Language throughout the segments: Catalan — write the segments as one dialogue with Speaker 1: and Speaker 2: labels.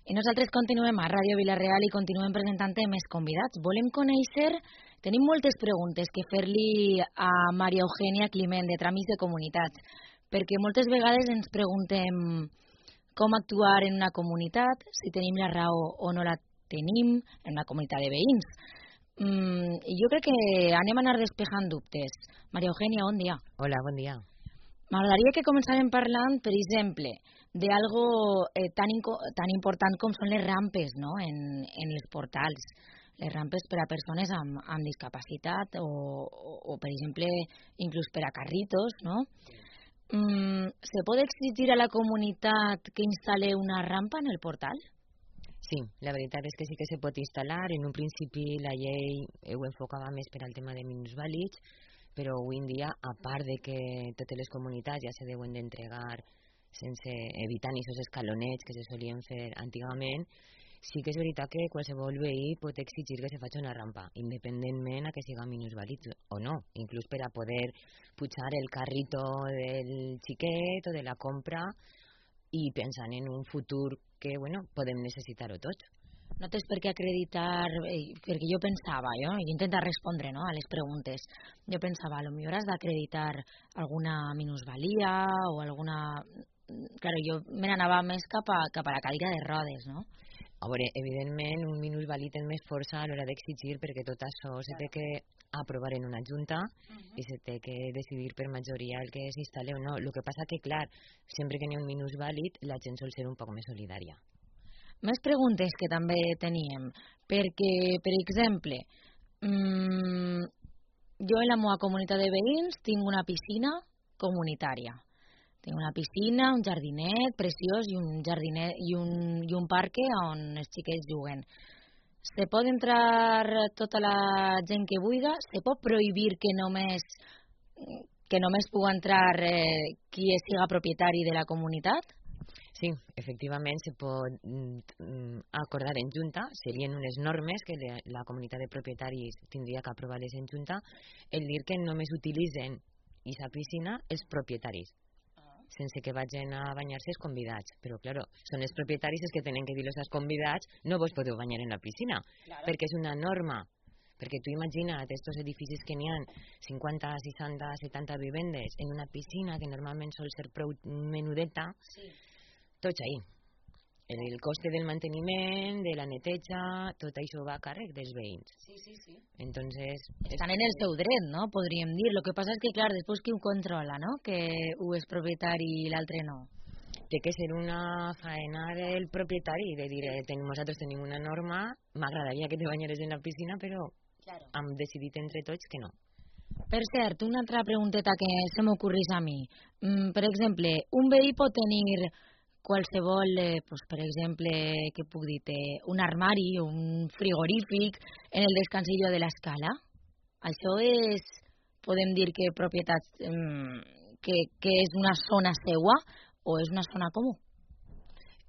Speaker 1: I nosaltres continuem a Ràdio Vila-real i continuem presentant més convidats. Volem conèixer, tenim moltes preguntes que fer-li a Maria Eugènia Climent, de Tràmits de Comunitats, perquè moltes vegades ens preguntem com actuar en una comunitat, si tenim la raó o no la tenim, en una comunitat de veïns. Jo crec que anem a anar despejant dubtes. Maria Eugènia, bon dia.
Speaker 2: Hola, bon dia.
Speaker 1: M'agradaria que començàvem parlant, per exemple, d'algo tan important com són les rampes, no?, en els portals. Les rampes per a persones amb discapacitat o, per exemple, inclús per a carritos, no? ¿Se puede exigir a la comunitat que instal·le una rampa en el portal?
Speaker 2: Sí, la veritat és que sí que se pot instal·lar. En un principi la llei ho enfocava més per al tema de minusvàlids, però avui en dia, a part de que totes les comunitats ja se deuen d'entregar sense evitant aquests escalonets que se solien fer antigament, sí que és veritat que qualsevol veí pot exigir que se faci una rampa, independentment a que siga minusvàlid o no, inclús per a poder pujar el carrito del xiquet o de la compra i pensant en un futur que, bueno, podem necessitar-ho tots.
Speaker 1: No tens per què acreditar, perquè jo pensava, jo intento respondre, no, a les preguntes. Jo pensava, potser has d'acreditar alguna minusvalia o alguna... Claro, jo me n'anava més cap a la cadira de rodes, no?
Speaker 2: A veure, evidentment, un minusvàlid és més força a l'hora d'exigir perquè tot això se té que aprovar en una junta i se té que decidir per majoria el que s'instal·le o no. El que passa que, clar, sempre que n'hi ha un minusvàlid, la gent sol ser un poc més solidària.
Speaker 1: Més preguntes que també teníem, perquè, per exemple, jo en la meva comunitat de veïns tinc una piscina comunitària. Tinc una piscina, un jardinet preciós i un parc on els xiquets juguen. Se pot entrar tota la gent que vulgui? Se pot prohibir que només pugui entrar qui siga propietari de la comunitat?
Speaker 2: Sí, efectivament se pot acordar en junta, serien unes normes que la comunitat de propietaris tindria que aprovar-les en junta, el dir que només utilitzen aquesta piscina els propietaris, sense que vagin a banyar-se els convidats. Però, clar, són els propietaris els que tenen que dir-los als convidats no vos podeu banyar en la piscina, perquè és una norma. Perquè tu imagina't estos edificis que n'hi ha 50, 60, 70 vivendes en una piscina que normalment sol ser prou menudeta, tots ahí. El coste del manteniment, de la neteja, tot això va a càrrec dels veïns.
Speaker 1: Sí.
Speaker 2: Entonces,
Speaker 1: estan en el seu dret, no? Podríem dir. Lo que passa és que, clar, després qui ho controla, no? Que un és propietari i l'altre no.
Speaker 2: Té que ser una faena del propietari, de dir, nosaltres tenim una norma, m'agradaria que te banyares en la piscina, però hem decidit entre tots que no.
Speaker 1: Per cert, una altra pregunteta que se m'ocorrís a mi. Per exemple, un veí pot tenir qualsevol, per exemple, que puc dir, un armari o un frigorífic en el descansillo de l'escala. Això és, podem dir que propietat, que és una zona seua o és una zona comú?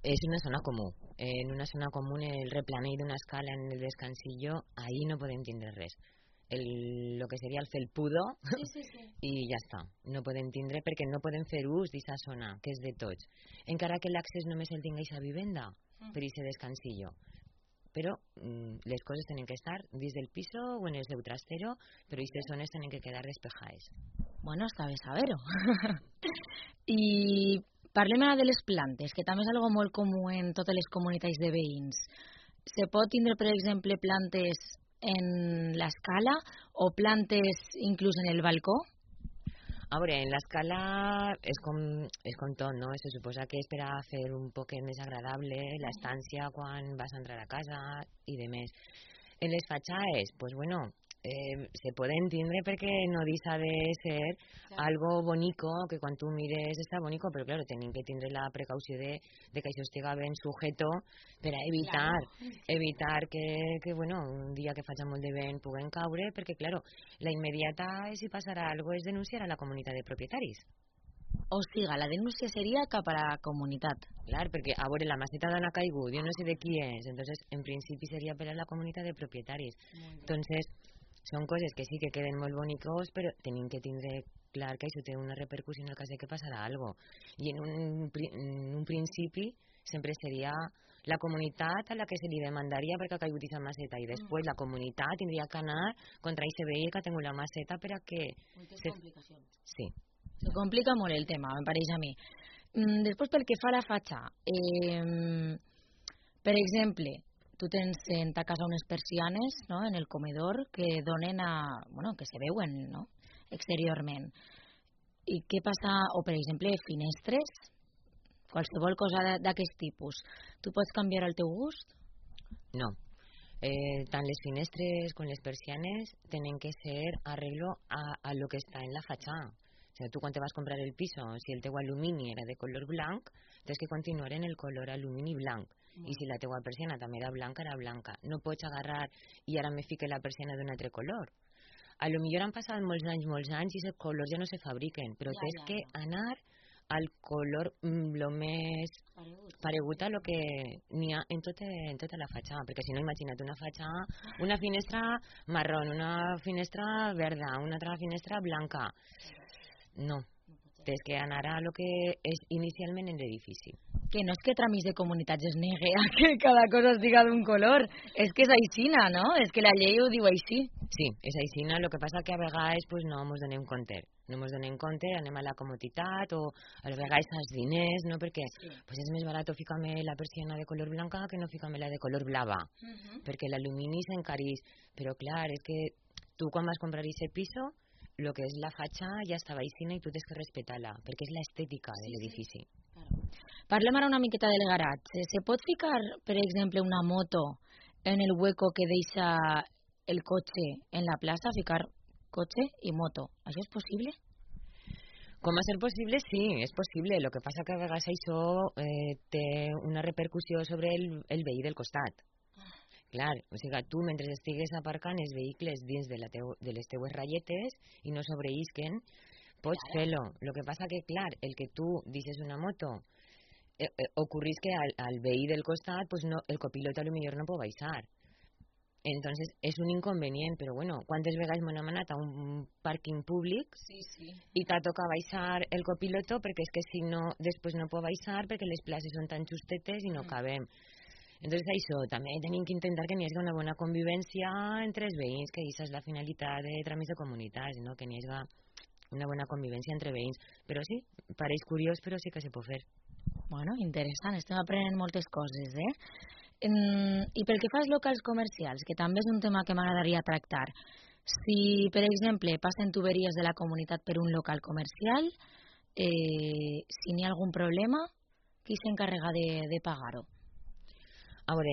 Speaker 2: És una zona comú. En una zona comú, el replanell d'una escala en el descansillo, ahí no podem tindre res. Lo que seria el felpudo i ja està, no podem tindre perquè no podem fer ús d'aquesta zona que és de tots, encara que l'accés només el tingueix a vivenda per aquest descansillo, però les coses tenen que estar dins del piso o en el seu trastero, però aquestes zones tenen que quedar despejades.
Speaker 1: Bueno, està bé saber-ho. I parlem ara de les plantes, que també és algo molt comú en totes les comunitats de veïns. Se pot tindre, per exemple, plantes en l'escala o plantes inclús en el balcó?
Speaker 2: A veure, en l'escala és com tot, no? Se suposa que és per a fer un poc més agradable l'estància quan vas a entrar a casa i de més. En les fatxades, pues bueno, se poden tindre perquè no deixa de ser algo bonico, que quan tu mires està bonico, però claro, tenim que tindre la precaució de que això estiga ben sujeto per a evitar que bueno, un dia que faci molt de vent puguen caure, perquè claro, la immediata si passarà algo és denunciar a la comunitat de propietaris.
Speaker 1: O siga, la denúncia seria cap a la comunitat.
Speaker 2: Clar, perquè a veure, la maceta d'on ha caigut, jo no sé de qui és, entonces en principi seria per a la comunitat de propietaris. Entonces, són coses que sí que queden molt bonicos, però tenim que tindre clar que això té una repercussió en el cas de que passarà alguna cosa. I en un principi sempre seria la comunitat a la que se li demandaria perquè ha caigut aquesta maceta i després la comunitat tindria que anar contra aquest veí que ha tingut la maceta per a que...
Speaker 1: Moltes complicacions.
Speaker 2: Sí.
Speaker 1: Se complica molt el tema, em pareix a mi. Després, pel que fa a la fatxa, per exemple, tu tens en ta casa unes persianes, no?, en el comedor que donen a... bueno, que se veuen, no?, exteriorment. I què passa? O, per exemple, finestres, qualsevol cosa d'aquest tipus. Tu pots canviar el teu gust?
Speaker 2: No. Tant les finestres com les persianes tenen que ser arreglo a lo que està en la fachada. O sea, tu quan te vas comprar el piso, si el teu alumini era de color blanc, tens que continuar en el color alumini blanc. I si la teua persiana també era blanca. No pots agarrar i ara me fique la persiana d'un altre color. A lo millor han passat molts anys i els colors ja no se fabriquen, però tens que anar al color lo més paregut a lo que n'hi ha en tota la fatxada, perquè si no, imagina't una fatxada, una finestra marrón, una finestra verda, una altra finestra blanca. No, tens que anar a lo que és inicialment en l'edifici.
Speaker 1: Que no és que Tramis de Comunitats es negue a que cada cosa estiga d'un color, és que és aixina, no? És que la llei ho diu així.
Speaker 2: Sí, és aixina, el que passa que a vegades pues, no ens donem compte. No ens donem compte, anem a la comoditat o a vegades als diners, no? Perquè pues, és més barat ficar-me la persiana de color blanca que no ficar-me la de color blava, perquè l'alumini s'encarís. Però clar, és que tu quan vas comprar aquest piso, el que és la fatxa ja estava aixina i tu tens que respectar-la, perquè és l'estètica de l'edifici.
Speaker 1: Parlem ara una miqueta del garatge. Se pot ficar, per exemple, una moto en el hueco que deixa el cotxe en la plaça, ficar cotxe i moto? Això és possible?
Speaker 2: Com a ser possible, sí, és possible. El que passa que a vegades això té una repercussió sobre el veí del costat. Clar, o sigui, tu mentre estigues aparcant els vehicles dins de les teues ratlletes i no sobreisquen, pots fer-lo. El que passa que, clar, el que tu deixes una moto ocorrís que al veí del costat pues no, el copilot a lo millor no pot baixar. Entonces és un inconvenient, però bueno, quantes vegades m'han anat a un pàrquing públic i t'ha tocat baixar el copiloto perquè és que si no, després no pot baixar perquè les places són tan justetes i no cabem. Entonces això, també tenim que intentar que n'hi hagi una bona convivència entre els veïns, que aquesta és la finalitat de Tramis de Comunitats, no? Que n'hi hagi una bona convivència entre veïns. Però sí, pareix curiós, però sí que se pot fer.
Speaker 1: Bueno, interessant, estem aprenent moltes coses, I pel que fa als locals comercials, que també és un tema que m'agradaria tractar, si, per exemple, passen tuberies de la comunitat per un local comercial, si n'hi ha algun problema, qui s'encarrega de pagar-ho?
Speaker 2: A veure,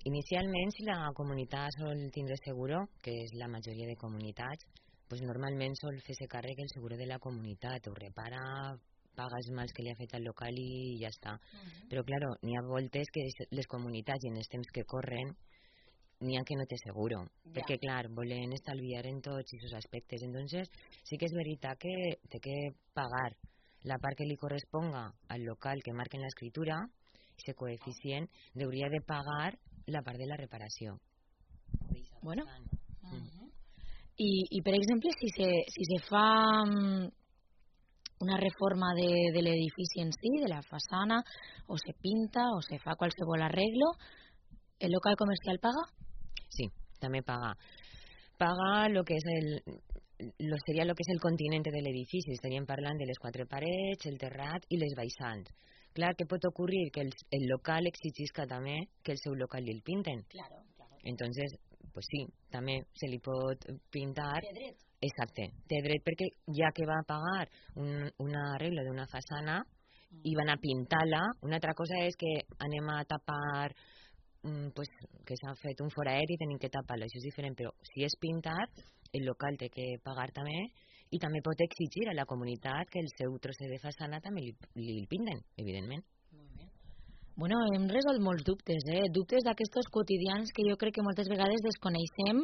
Speaker 2: inicialment, si la comunitat sol tindre seguro, que és la majoria de comunitats, pues normalment sol fer-se càrrec el seguro de la comunitat, ho repara, paga els mals que li ha fet al local i ja està. Però, clar, n'hi ha voltes que les comunitats i en els temps que corren n'hi ha que no té seguro, perquè, clar, volen estalviar en tots aquests aspectes. Entonces, sí que és veritat que té que pagar la part que li corresponga al local que marca en l'escritura, aquest coeficient, hauria de pagar la part de la reparació.
Speaker 1: Bueno. I per exemple, si se fa una reforma de l'edifici en si, de la façana, o se pinta, o se fa qualsevol arreglo, ¿el local comercial paga?
Speaker 2: Sí, també paga. Paga lo que és seria lo que és el continente de l'edifici. Estaríem parlant de les 4 parets, el terrat i les baixants. Clar que pot ocorrir que el local exigisca també que el seu local li el pinten.
Speaker 1: Claro.
Speaker 2: Entonces, pues sí, també se li pot pintar.
Speaker 1: Té dret.
Speaker 2: Exacte, té dret perquè ja que va pagar un arreglo d'una façana i van a pintar-la, una altra cosa és que anem a tapar, pues, que s'ha fet un foraet i tenim que tapar-lo, això és diferent, però si és pintar, el local té que pagar també i també pot exigir a la comunitat que el seu trosset de façana també li pinten, evidentment.
Speaker 1: Bueno, hem resolt molts dubtes, dubtes d'aquestos quotidians que jo crec que moltes vegades desconeixem,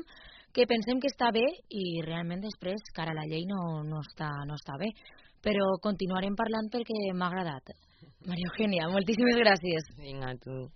Speaker 1: que pensem que està bé i realment després, cara a la llei, no està bé. Però continuarem parlant perquè m'ha agradat. Maria Eugènia, moltíssimes gràcies.
Speaker 2: Vinga, tu.